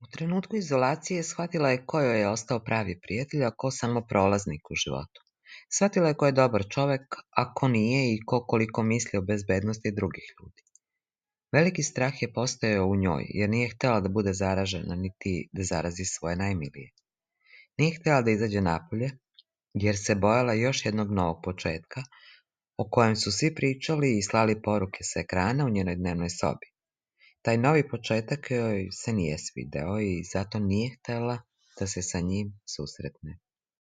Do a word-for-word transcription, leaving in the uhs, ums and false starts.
U trenutku izolacije shvatila je ko joj je ostao pravi prijatelj, a ko samo prolaznik u životu. Shvatila je ko je dobar čovek, a ko nije i ko koliko misli o bezbednosti drugih ljudi. Veliki strah je postojao u njoj, jer nije htela da bude zaražena, niti da zarazi svoje najmilije. Nije htela da izađe napolje, jer se bojala još jednog novog početka, o kojem su svi pričali i slali poruke sa ekrana u njenoj dnevnoj sobi. Taj novi početak joj se nije svideo i zato nije htela da se sa njim susretne.